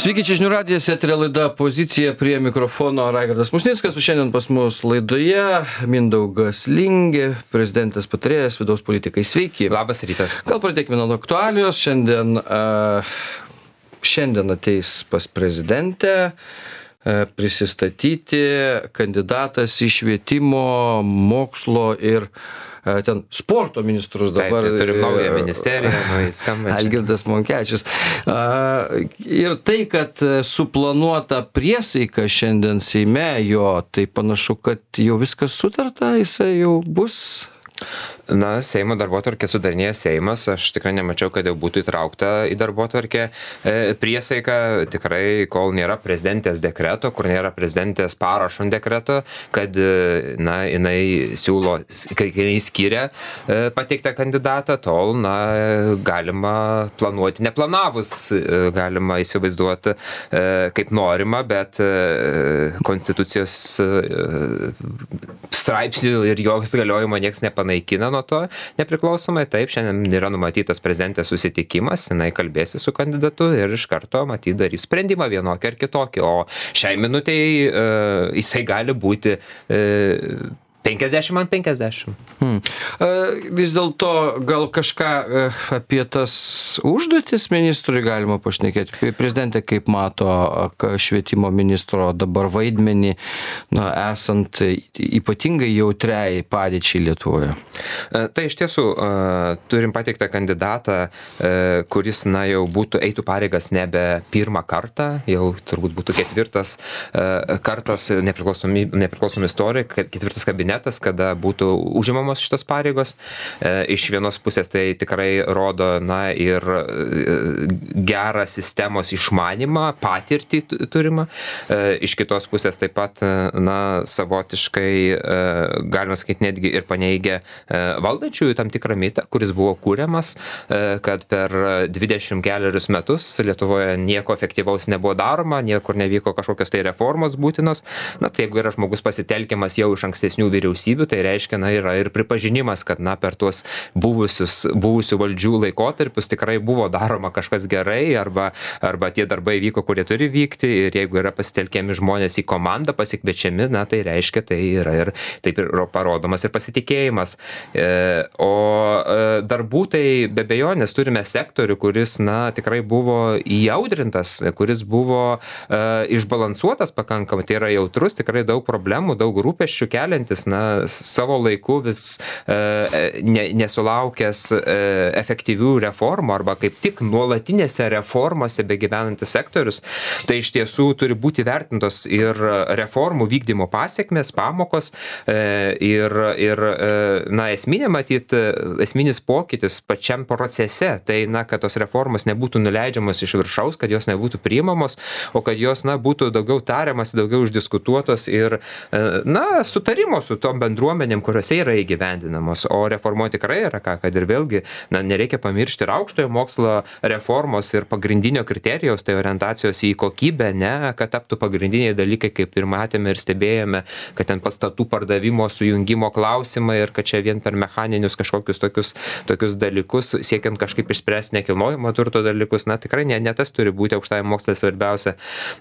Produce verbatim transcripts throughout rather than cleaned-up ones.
Sveiki, čia žinių radijas, eterio laida Pozicija, prie mikrofono Raigardas Musnickas, o šiandien pas mus laidoje Mindaugas Lingė, prezidentės patarėjas vidaus politikai. Sveiki. Labas rytas. Gal pradėkime nuo aktualijos. Šiandien, uh, šiandien ateis pas prezidentę uh, prisistatyti kandidatas į švietimo, mokslo ir ten sporto ministrus dabar. Taip, turim naują ministeriją, naują skambančią. Algirdas Monkevičius. Ir tai, kad suplanuota priesaika šiandien Seime jo, tai panašu, kad jau viskas sutarta, jisai jau bus. Na, Seimo darbotvarkę sudarinėja Seimas, aš tikrai nemačiau, kad jau būtų įtraukta į darbotvarkę priesaika, tikrai kol nėra prezidentės dekreto, kur nėra prezidentės parašo ant dekreto, kad, na, jinai siūlo, kai jinai skiria pateiktą kandidatą, tol, na, galima planuoti, neplanavus, galima įsivaizduoti kaip norima, bet konstitucijos straipsnių ir jos galiojimo nieks nepanaikina nuo to nepriklausomai. Taip, šiandien yra numatytas prezidentės susitikimas, jinai kalbėsi su kandidatu ir iš karto matyt darys sprendimą vienokį ar kitokį, o šiai minutei uh, jisai gali būti uh, penkiasdešimt ant penkiasdešimt. Hmm. Vis dėlto gal kažką apie tas užduotis ministrui galima pašnekėti. Prezidentė kaip mato švietimo ministro dabar vaidmenį, na, esant ypatingai jautriai padėčiai Lietuvoje? Tai iš tiesų turim pateiktą kandidatą, kuris, na, jau būtų eitų pareigas nebe pirmą kartą, jau turbūt būtų ketvirtas kartas nepriklausomi, nepriklausomi istorijai, ketvirtas kabinetas, kada būtų užimamos šitos pareigos. Iš vienos pusės tai tikrai rodo, na, ir gerą sistemos išmanimą, patirtį turimą. Iš kitos pusės taip pat, na, savotiškai, galima sakyti, netgi ir paneigia valdančiųjų tam tikrą mitą, kuris buvo kūriamas, kad per dvidešimt kelerius metus Lietuvoje nieko efektyvaus nebuvo daroma, niekur nevyko kažkokios tai reformos būtinos. Na, tai jeigu yra žmogus pasitelkiamas jau iš ankstesnių vyriausybių, tai reiškia, na, yra ir pripažinimas, kad, na, per tuos buvusius, buvusių valdžių laikotarpius tikrai buvo daroma kažkas gerai, arba, arba tie darbai vyko, kurie turi vykti, ir jeigu yra pasitelkiami žmonės į komandą, pasikviečiami, na, tai reiškia, tai yra ir taip ir parodomas ir pasitikėjimas. E, o e, darbų tai be abejonės turime sektorių, kuris, na, tikrai buvo įaudrintas, kuris buvo e, išbalansuotas pakankamai, tai yra jautrus, tikrai daug problemų, daug rūpesčių keliantis, na, savo laiku vis e, ne, nesulaukęs e, efektyvių reformų arba kaip tik nuolatinėse reformose begyvenantis sektorius, tai iš tiesų turi būti vertintos ir reformų vykdymo pasiekmės, pamokos e, ir, ir e, na, esminė matyt, esminis pokytis pačiam procese, tai, na, kad tos reformos nebūtų nuleidžiamos iš viršaus, kad jos nebūtų priimamos, o kad jos, na, būtų daugiau tariamas, daugiau išdiskutuotos ir, e, na, sutarimo su tom bendruomenėm, kuriuose yra įgyvendinamos, o reformuoti tikrai yra ką, kad ir vėlgi, na, nereikia pamiršti ir aukštojo mokslo reformos ir pagrindinio kriterijaus, tai orientacijos į kokybę, ne, kad taptų pagrindiniai dalykai, kaip ir matėme ir stebėjome, kad ten pastatų pardavimo, sujungimo klausimai ir kad čia vien per mechaninius kažkokius tokius, tokius dalykus, siekiant kažkaip išspręsti nekilnojamo turto dalykus, na, tikrai ne, ne tas turi būti aukštajam moksle svarbiausia,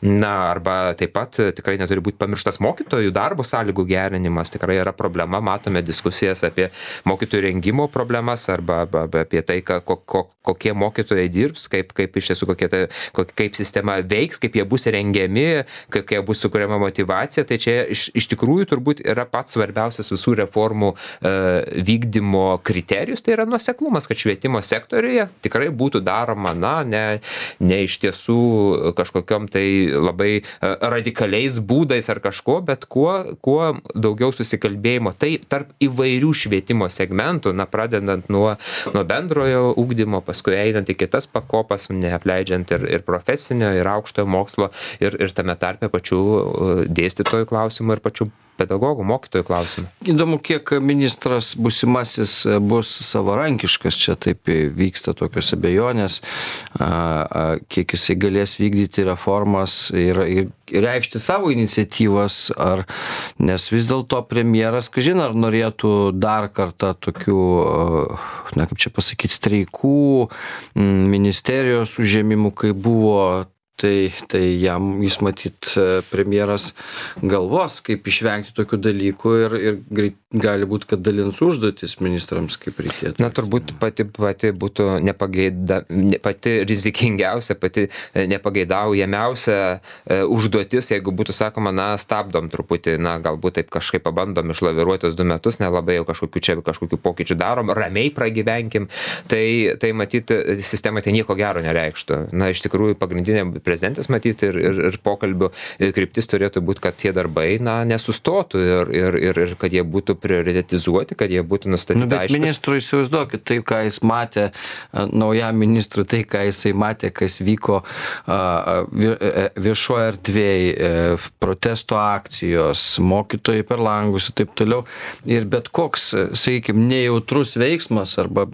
na, arba taip pat tikrai neturi būti pamirštas mokytojų darbo sąlygų gerinimas, tikrai yra problema, matome diskusijas apie mokytojų rengimo problemas arba, arba apie tai, ka, ko, ko, kokie mokytojai dirbs, kaip, kaip iš tiesų kokie tai, kaip sistema veiks, kaip jie bus rengiami, kaip jie bus sukuriama motyvacija, tai čia iš, iš tikrųjų turbūt yra pats svarbiausias visų reformų e, vykdymo kriterijus, tai yra nuoseklumas, kad švietimo sektoriuje tikrai būtų daroma, na, ne, ne iš tiesų kažkokiom tai labai radikaliais būdais ar kažko, bet kuo, kuo daugiau susikalbėjimo, tai tarp įvairių švietimo segmentų, na, pradedant nuo, nuo bendrojo ugdymo, paskui einant į kitas pakopas, neapleidžiant ir, ir profesinio, ir aukštojo mokslo, ir, ir tame tarpe pačių dėstytojų klausimų ir pačių pedagogų, mokytojų klausimų. Įdomu, kiek ministras būsimasis bus savarankiškas, čia taip vyksta tokios abejonės, kiek jisai galės vykdyti reformas ir, ir reikšti savo iniciatyvas, ar, nes vis dėlto premjeras, kažin, ar norėtų dar kartą tokių, na, kaip čia pasakyti, streikų, ministerijos užėmimų, kai buvo tai, tai jam jis matyt premjeras galvos, kaip išvengti tokių dalykų ir, ir greit gali būti, kad dalins užduotis ministrams, kaip reikėtų. Na, turbūt pati, pati būtų nepageida, pati rizikingiausia, pati nepageidaujamiausia užduotis, jeigu būtų sakoma, na, stabdom truputį, na, galbūt taip kažkaip pabandom išlaviruotis du metus, nelabai jau kažkokių čia kažkokių pokyčių darom, ramiai pragyvenkim, tai, tai matyti sistemai tai nieko gero nereikštų. Na, iš tikrųjų, pagrindinė prezidentės matyti ir, ir, ir pokalbių kryptis turėtų būti, kad tie darbai, na, nesustotų ir, ir, ir, ir kad jie būtų prioritetizuoti, kad jie būtų nustatyti nu, bet aiškus. Ministrui įsivaizduokit, tai, ką jis matė, naujam ministrui, tai, ką jisai matė, kas vyko viešoje erdvėje, protesto akcijos, mokytojai per langus ir taip toliau. Ir bet koks, sakykime, nejautrus veiksmas arba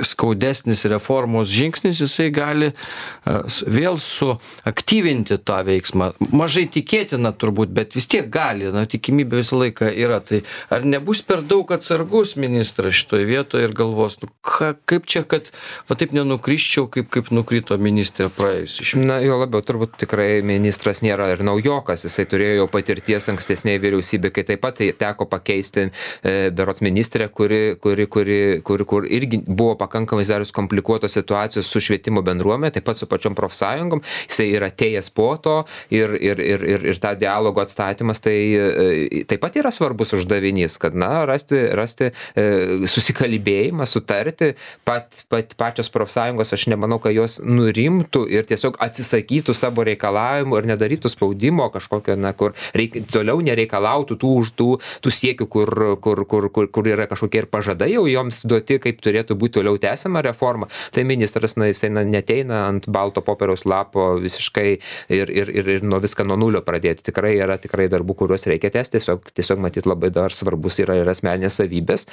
skaudesnis reformos žingsnis, jisai gali vėl suaktyvinti tą veiksmą. Mažai tikėtina turbūt, bet vis tiek gali, na, tikimybė visą laiką yra. Tai ar nebus per daug atsargus ministras šitoje vietoje ir galvos, nu, ka, kaip čia, kad va taip nenukriščiau, kaip, kaip nukrito ministrė praėjusi šimtą. Na, jo labiau, turbūt tikrai ministras nėra ir naujokas, jisai turėjo jau patirties ankstesnėje vyriausybėje, kai taip pat tai teko pakeisti e, berods ministrę, kuri, kuri, kuri, kuri, kur irgi buvo pakankamai darius komplikuotos situacijos su švietimo bendruomenė, taip pat su pačiom profsąjungom, jisai yra atėjęs po to ir, ir, ir, ir, ir tą dialogo atstatymas, tai e, taip pat yra svarbus uždavinys, kad, na, rasti, rasti e, susikalbėjimą, sutarti, pat, pat, pačios profsąjungos, aš nemanau, kad jos nurimtų ir tiesiog atsisakytų savo reikalavimų ir nedarytų spaudimo kažkokio, na, kur reik, toliau nereikalautų tų, tų, tų siekių, kur, kur, kur, kur, kur yra kažkokie ir pažadai jau joms duoti, kaip turėtų būti toliau tęsiama reforma. Tai ministras, na, jisai na, neteina ant balto popieriaus lapo visiškai ir, ir, ir, ir nuo viską nuo nulio pradėti. Tikrai yra tikrai darbų, kuriuos reikia tęsti, tiesiog, tiesiog matyt labai dar svarbus yra ir asmeninės savybės,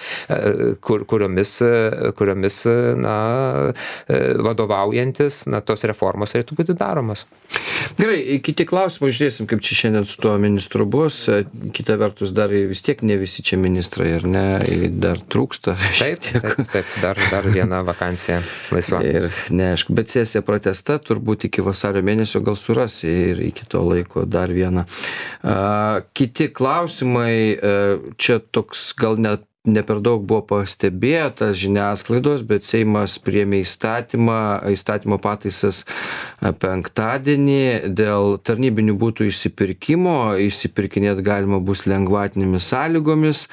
kur, kuriomis, kuriomis na, vadovaujantis, na, tos reformos turėtų būti daromas. Gerai, kiti klausimai, žiūrėsim, kaip čia šiandien su tuo ministru bus. Kita vertus, dar vis tiek ne visi čia ministrai, ar ne, dar trūksta. Taip, taip, taip, dar, dar viena vakancija laisva. Ir neaišku, bet sesija pratęsta, turbūt iki vasario mėnesio gal surasi ir iki to laiko dar vieną. Uh, kiti klausimai, uh, čia toks gal net ne per daug buvo pastebėtas žiniasklaidos, bet Seimas priėmė įstatymą, įstatymo pataisas penktadienį dėl tarnybinių butų išsipirkimo. Išsipirkinėti galima bus lengvatinėmis sąlygomis.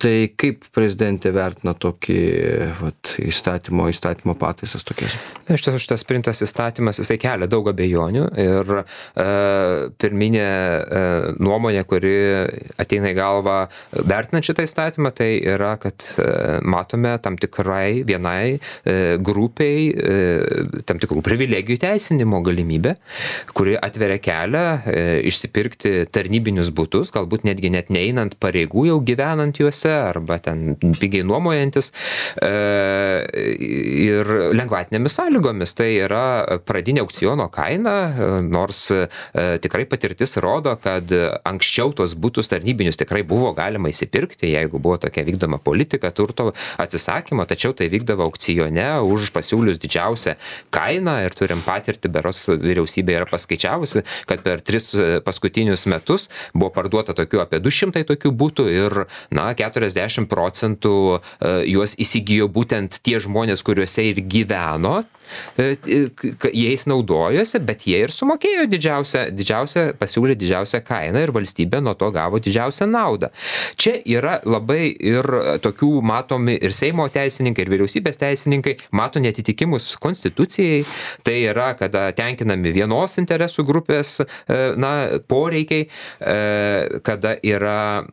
Tai kaip prezidentė vertina tokį vat, įstatymo, įstatymo pataisas tokias? Iš tiesų, šitas priimtas įstatymas, jisai kelia daug abejonių ir e, pirminė e, nuomonė, kuri ateina į galvą vertinant šitą įstatymą, tai yra, kad e, matome tam tikrai vienai e, grupiai e, tam tikrų privilegijų teisinimo galimybę, kuri atveria kelią e, išsipirkti tarnybinius butus, galbūt netgi net neeinant pareigų jau gyvenant juose, arba ten pigiai nuomojantis e, ir lengvatinėmis sąlygomis. Tai yra pradinė aukciono kaina, nors e, tikrai patirtis rodo, kad anksčiau tos butus tarnybinius tikrai buvo galima įsipirkti, jeigu buvo tokia vykdoma politika turto atsisakymo, tačiau tai vykdavo aukcione už pasiūlius didžiausią kainą ir turim patirtį, beros vyriausybė yra paskaičiavusi, kad per tris paskutinius metus buvo parduota tokių apie du šimtai tokių butų ir, na, keturiasdešimt procentų juos įsigijo būtent tie žmonės, kuriuose ir gyveno, jais naudojosi, bet jie ir sumokėjo didžiausią, didžiausią, pasiūlė didžiausią kainą ir valstybė nuo to gavo didžiausią naudą. Čia yra labai ir tokių matomi ir Seimo teisininkai, ir vyriausybės teisininkai, mato netitikimus konstitucijai, tai yra, kada tenkinami vienos interesų grupės na, poreikiai, kada yra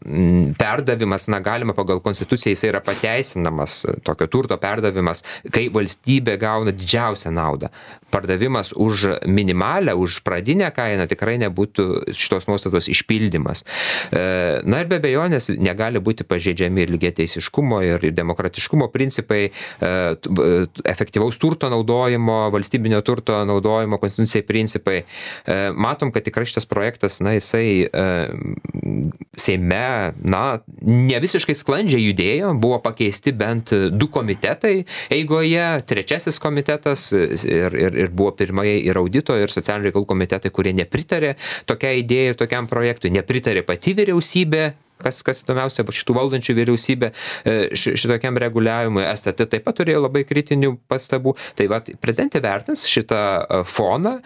perdavimas, na, galima pagal konstituciją, jis yra pateisinamas, tokio turto perdavimas, kai valstybė gauna didžiausią naudą. Pardavimas už minimalę, už pradinę kainą tikrai nebūtų šitos nuostatos išpildymas. Na ir be abejonės negali būti pažeidžiami ir lygiateisiškumo ir demokratiškumo principai, efektyvaus turto naudojimo, valstybinio turto naudojimo konstitucijai principai. Matom, kad tikrai šitas projektas, na, jisai Seime, na, ne visiškai sklandžiai judėjo, buvo pakeisti bent du komitetai eigoje, trečiasis komitetas komitetas ir, ir, ir buvo pirmai ir audito, ir socialinių reikalų komitetai, kurie nepritarė tokiai idėjai, tokiam projektui, nepritarė pati vyriausybė, kas, kas įdomiausia, šitų valdančių vyriausybė šitokiam reguliavimui. S T T taip pat turėjo labai kritinių pastabų. Tai va, prezidentė vertins šitą foną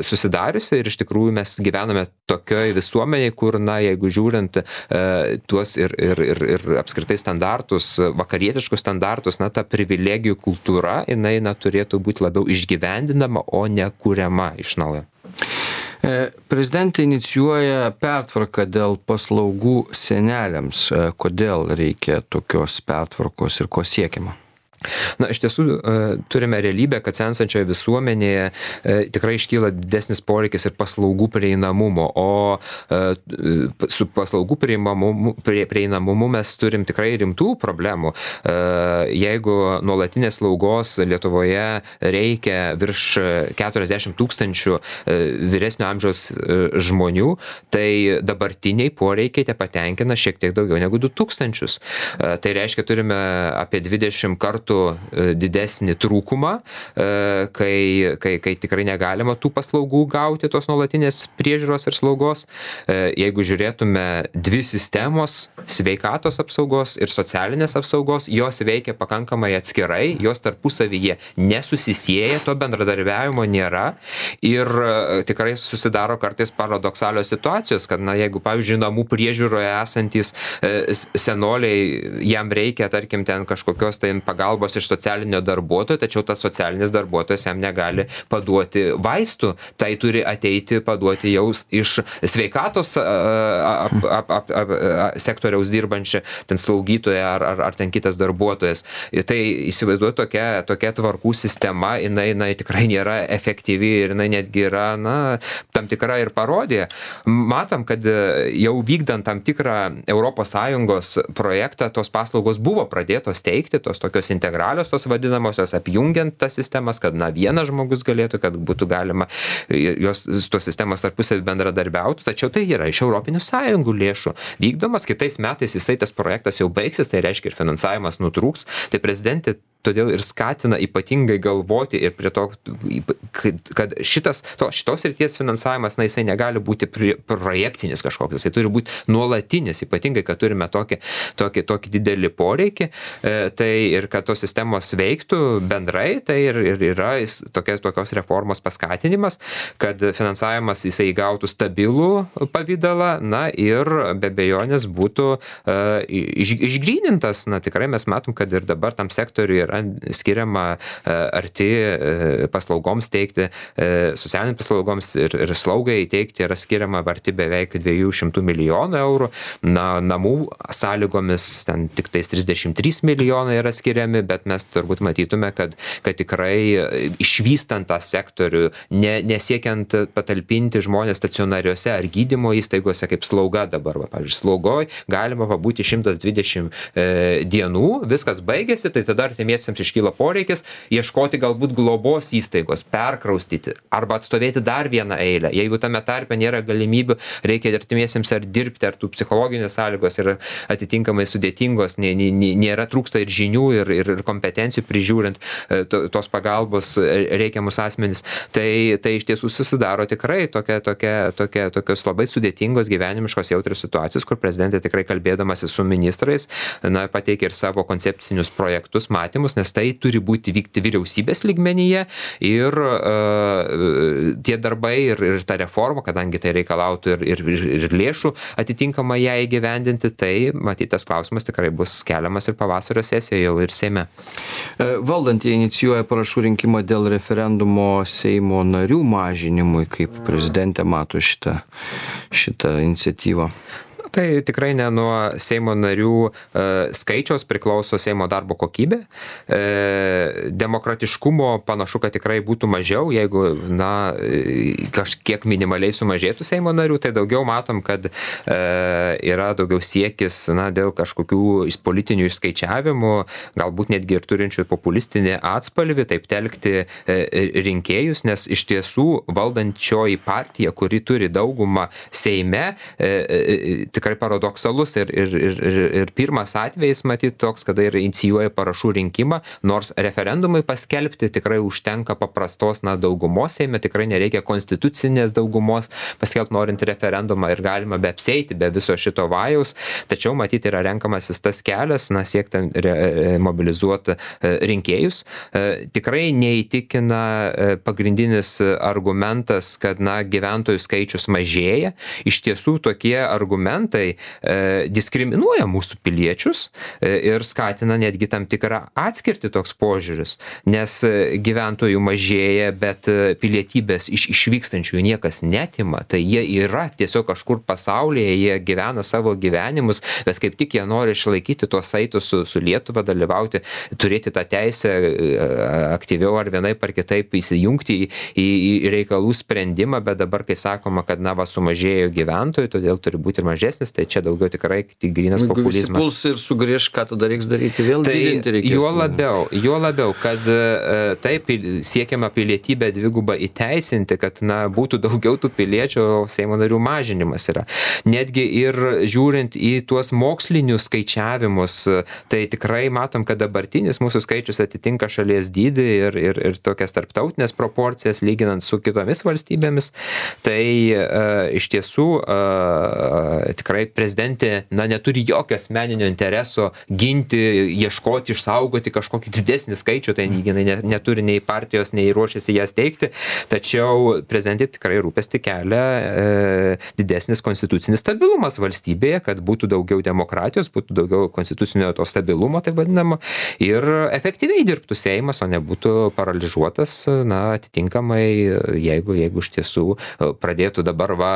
susidariusi ir iš tikrųjų mes gyvename tokioj visuomeniai, kur, na, jeigu žiūrint tuos ir, ir, ir, ir apskritai standartus, vakarietiškus standartus, na, ta privilegijų kultūra, jinai, na, turėtų būti labiau išgyvendinama, o ne kuriama iš naujo. Prezidentė inicijuoja pertvarką dėl paslaugų seneliams. Kodėl reikia tokios pertvarkos ir ko siekiama? Na, iš tiesų turime realybę, kad sensančioje visuomenėje tikrai iškyla didesnis poreikis ir paslaugų prieinamumo, o su paslaugų prieinamumu, prieinamumu mes turim tikrai rimtų problemų. Jeigu nuolatinės slaugos Lietuvoje reikia virš keturiasdešimt tūkstančių vyresnio amžiaus žmonių, tai dabartiniai poreikiai te patenkina šiek tiek daugiau negu du tūkstančius. Tai reiškia, turime apie dvidešimt kartų didesnį trūkumą, kai, kai, kai tikrai negalima tų paslaugų gauti, tos nuolatinės priežiūros ir slaugos. Jeigu žiūrėtume dvi sistemos, sveikatos apsaugos ir socialinės apsaugos, jos veikia pakankamai atskirai, jos tarpusavyje nesusisieja, to bendradarbiavimo nėra ir tikrai susidaro kartais paradoksalios situacijos, kad, na, jeigu, pavyzdžiui, namų priežiūroje esantys senoliai, jam reikia, tarkim, ten kažkokios tai pagalbos iš socialinio darbuotojo, tačiau tas socialinis darbuotojas jam negali paduoti vaistų, tai turi ateiti paduoti jau iš sveikatos ap, ap, ap, ap, sektoriaus dirbančią ten slaugytoją ar, ar, ar ten kitas darbuotojas. Ir tai įsivaizduoju tokia, tokia tvarkų sistema, jinai, jinai tikrai nėra efektyvi ir jinai netgi yra, na, tam tikra ir parodija. Matom, kad jau vykdant tam tikrą Europos Sąjungos projektą, tos paslaugos buvo pradėtos teikti, tos tokios integralios, tos vadinamosios, apjungiant tas sistemas, kad, na, vienas žmogus galėtų, kad būtų galima jos, tos sistemos tarpusavy bendradarbiautų, tačiau tai yra iš Europinių Sąjungų lėšų vykdomas, kitais metais jisai tas projektas jau baigsis, tai reiškia ir finansavimas nutrūks, tai prezidentė todėl ir skatina ypatingai galvoti ir prie to, kad šitas, to, šitos srities finansavimas, na, jisai negali būti projektinis kažkoks, jisai turi būti nuolatinis, ypatingai, kad turime tokį, tokį, tokį didelį poreikį, tai ir kad tos sistemos veiktų bendrai, tai ir, ir yra tokia, tokios reformos paskatinimas, kad finansavimas jisai įgautų stabilų pavydalą, na, ir be abejonės būtų uh, iš, išgrynintas, na, tikrai mes matom, kad ir dabar tam sektoriui yra skiriama arti paslaugoms teikti, socialinėms paslaugoms ir, ir slaugai teikti yra skiriama arti beveik dviejų šimtų milijonų eurų. Na, namų sąlygomis ten tik tais trisdešimt trys milijonai yra skiriami, bet mes turbūt matytume, kad, kad tikrai išvystant tą sektorių, ne, nesiekiant patalpinti žmonės stacionariuose ar gydymo įstaigose kaip slauga dabar, va, pavyzdžiui, slaugoj galima pabūti šimtas dvidešimt e, dienų, viskas baigėsi, tai tada artimiesiems iškyla poreikis ieškoti galbūt globos įstaigos, perkraustyti arba atstovėti dar vieną eilę. Jeigu tame tarpe nėra galimybių, reikia artimiesiems ar dirbti, ar tų psichologinės sąlygos yra atitinkamai sudėtingos, nė, nė, nėra trūksta ir žinių, ir, ir, ir kompetencijų prižiūrint to, tos pagalbos reikiamus asmenis. Tai, tai iš tiesų susidaro tikrai tokia, tokia, tokia, tokios labai sudėtingos gyvenimiškos jautrios situacijos, kur prezidentė tikrai kalbėdamasi su ministrais, na, pateikia ir savo koncepcinius projektus, matymus, nes tai turi būti vykti vyriausybės lygmenyje ir uh, tie darbai ir, ir ta reforma, kadangi tai reikalautų ir, ir, ir, ir lėšų atitinkamai ją įgyvendinti, tai matytas klausimas tikrai bus keliamas ir pavasario sesijoje jau ir Seime. Valdantieji inicijuoja parašų rinkimą dėl referendumo Seimo narių mažinimui, kaip prezidentė mato šitą, šitą iniciatyvą. Tai tikrai ne nuo Seimo narių e, skaičiaus priklauso Seimo darbo kokybė. E, demokratiškumo panašu, kad tikrai būtų mažiau, jeigu, na, kažkiek minimaliai sumažėtų Seimo narių, tai daugiau matom, kad e, yra daugiau siekis, na, dėl kažkokių politinių išskaičiavimų, galbūt netgi ir turinčių populistinį atspalvį, taip telkti e, rinkėjus, nes iš tiesų valdančioji partija, kuri turi daugumą Seime, e, e, tikrai paradoksalus ir, ir, ir, ir, ir pirmas atvejis, matyt, toks, kada ir inicijuoja parašų rinkimą, nors referendumai paskelbti tikrai užtenka paprastos na, daugumos Seime, tikrai nereikia konstitucinės daugumos paskelbti norint referendumą ir galima be apseiti, be viso šito vajaus, tačiau matyti yra renkamasis tas kelias, na, siekti mobilizuoti rinkėjus. Tikrai neįtikina pagrindinis argumentas, kad na, gyventojų skaičius mažėja. Iš tiesų tokie argumentai e, diskriminuoja mūsų piliečius e, ir skatina netgi tam tikrą atskirti toks požiūris, nes gyventojų mažėja, bet pilietybės iš išvykstančiųjų niekas netima, tai jie yra tiesiog kažkur pasaulyje, jie gyvena savo gyvenimus, bet kaip tik jie nori išlaikyti tuos saitus su, su Lietuva, dalyvauti, turėti tą teisę aktyviau ar vienaip ar kitaip įsijungti į, į, į reikalų sprendimą, bet dabar, kai sakoma, kad na, va, sumažėjo gyventojų, todėl turi būti ir mažesnis, tai čia daugiau tikrai tik grynas Jeigu populizmas. Puls ir sugrįž, ką tada reiks daryti, vėl tai didinti reikės. Juo labiau, juo labiau, kad taip siekiama pilietybę dvigubą įteisinti, kad na, būtų daugiau tų piliečių, Seimo narių mažinimas yra. Netgi ir žiūrint į tuos mokslinius skaičiavimus, tai tikrai matom, kad dabartinis mūsų skaičius atitinka šalies dydį ir, ir, ir tokias tarptautinės proporcijas, lyginant su kitomis valstybėmis. Tai uh, iš tiesų uh, tikrai prezidentė na, neturi jokio asmeninio intereso ginti, ieškoti, išsaugoti kažkokį didesnį skaičių, tai jinai ne, neturi nei partijos, nei ruošiasi jas teikti, tačiau prezidentė tikrai rūpesti kelia e, didesnis konstitucinis stabilumas valstybėje, kad būtų daugiau demokratijos, būtų daugiau konstitucinio to stabilumo, tai vadinamo, ir efektyviai dirbtų Seimas, o nebūtų paralyžiuotas, na, atitinkamai, jeigu, jeigu iš tiesų pradėtų dabar va,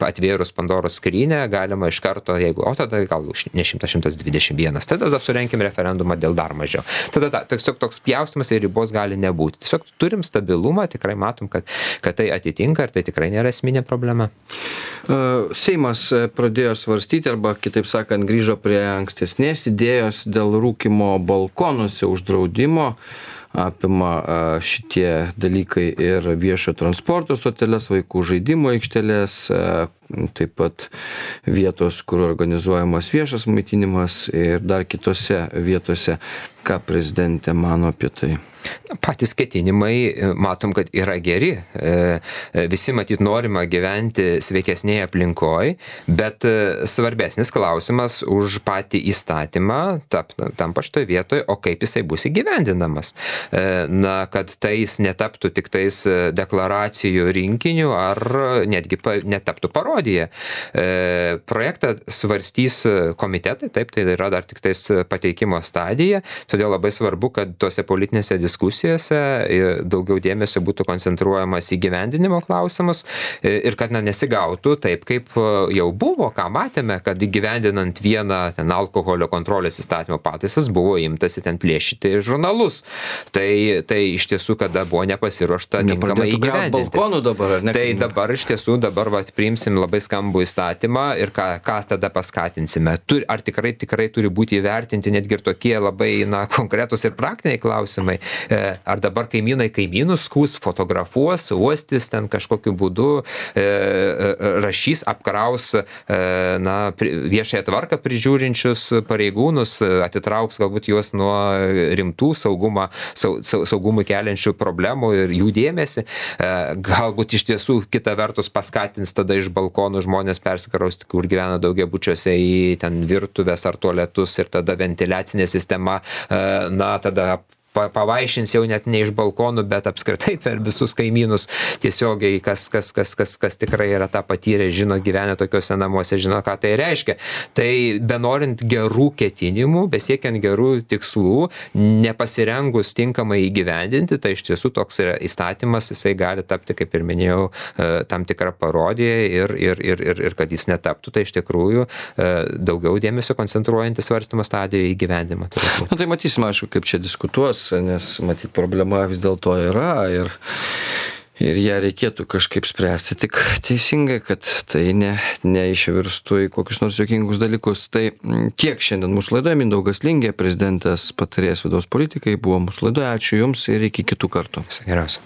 atvėrus Pandoros skrynę, galima iš karto, jeigu, o tada gal ne šimtas, šimtas dvidešimt vienas, tada surenkim referendumą dėl dar mažiau. Tada ta, tiesiog toks pjaustymas ir ribos gali nebūti. Tiesiog turim stabilumą, tikrai matom, kad, kad tai atitinka ir tai tikrai nėra esminė problema. Seimas pradėjo svarstyti arba, kitaip sakant, grįžo prie ankstesnės idėjos dėl rūkymo balkonuose uždraudimo. Apima šitie dalykai ir viešo transporto stoteles, vaikų žaidimo aikštelės, taip pat vietos, kur organizuojamas viešas maitinimas ir dar kitose vietose. Ką prezidentė mano apie tai? Patys ketinimai, matom, kad yra geri. Visi matyt norima gyventi sveikesnėje aplinkoje, bet svarbesnis klausimas už patį įstatymą tampa šitoje vietoje, o kaip jisai bus įgyvendinamas. Na, kad tai jis netaptų tik tais deklaracijų rinkiniu ar netgi netaptų parodija. Projektą svarstys komitetai, taip, tai yra dar tik tais pateikimo stadija, todėl labai svarbu, kad tose politinėse diskusijose daugiau dėmesio būtų koncentruojamas į gyvendinimo klausimus ir kad na, nesigautų taip, kaip jau buvo, ką matėme, kad įgyvendinant vieną ten, alkoholio kontrolės įstatymo pataisas buvo imtasi ten plėšyti žurnalus. Tai, tai iš tiesų, kada buvo nepasiruošta tinkamai įgyvendinti. Balkonų dabar, ar ne? Tai dabar iš tiesų, dabar va, priimsim labai skambų įstatymą ir ką, ką tada paskatinsime. Tur, ar tikrai, tikrai turi būti įvertinti netgi ir tokie labai na, konkretus ir praktiniai klausimai. Ar dabar kaimynai kaimynus skūs, fotografuos, uostys ten kažkokiu būdu, rašys, apkraus na, viešąją tvarką prižiūrinčius pareigūnus, atitrauks galbūt juos nuo rimtų saugumą, saugumui keliančių problemų ir jų dėmesį. Galbūt iš tiesų kita vertus paskatins tada iš balkonų žmonės persikrausti, kur gyvena daugiabučiuose į ten virtuvės ar tualetus ir tada ventiliacinė sistema na, tada pavaišins jau net ne iš balkonų, bet apskritai per visus kaimynus tiesiogiai, kas, kas, kas, kas, kas tikrai yra tą patyrę, žino, gyvenę tokiuose namuose, žino, ką tai reiškia. Tai benorint gerų ketinimų, besiekiant gerų tikslų, nepasirengus tinkamai įgyvendinti, tai iš tiesų toks yra įstatymas, jisai gali tapti, kaip ir minėjau, tam tikrą parodiją ir, ir, ir, ir, ir kad jis netaptų, tai iš tikrųjų daugiau dėmesio koncentruojantis svarstymo stadijoje įgyvendimą. Na tai matysim, aišku, kaip čia diskutuos, nes matyt problema vis dėlto yra ir, ir ją reikėtų kažkaip spręsti tik teisingai, kad tai ne, neišvirstų į kokius nors juokingus dalykus. Tai tiek šiandien mūsų laidoje. Mindaugas Lingė, prezidentės patarėjas vidaus politikai, buvo mūsų laidoje. Ačiū Jums ir iki kitų kartų. Viso geriausio.